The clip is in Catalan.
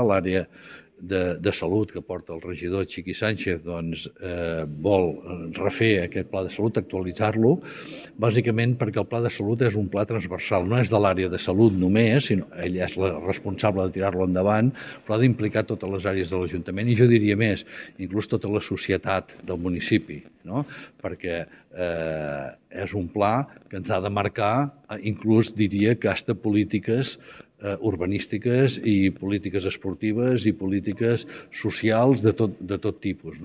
l'àrea de salut que porta el regidor Chiqui Sánchez vol refer aquest pla de salut, actualitzar-lo, bàsicament perquè el pla de salut és un pla transversal, no és de l'àrea de salut només, sinó ell és la responsable de tirar-lo endavant, però ha d'implicar totes les àrees de l'Ajuntament i jo diria més, inclús tota la societat del municipi, no? Perquè és un pla que ens ha de marcar, inclús diria que hasta polítiques urbanístiques i polítiques esportives i polítiques socials de tot tipus.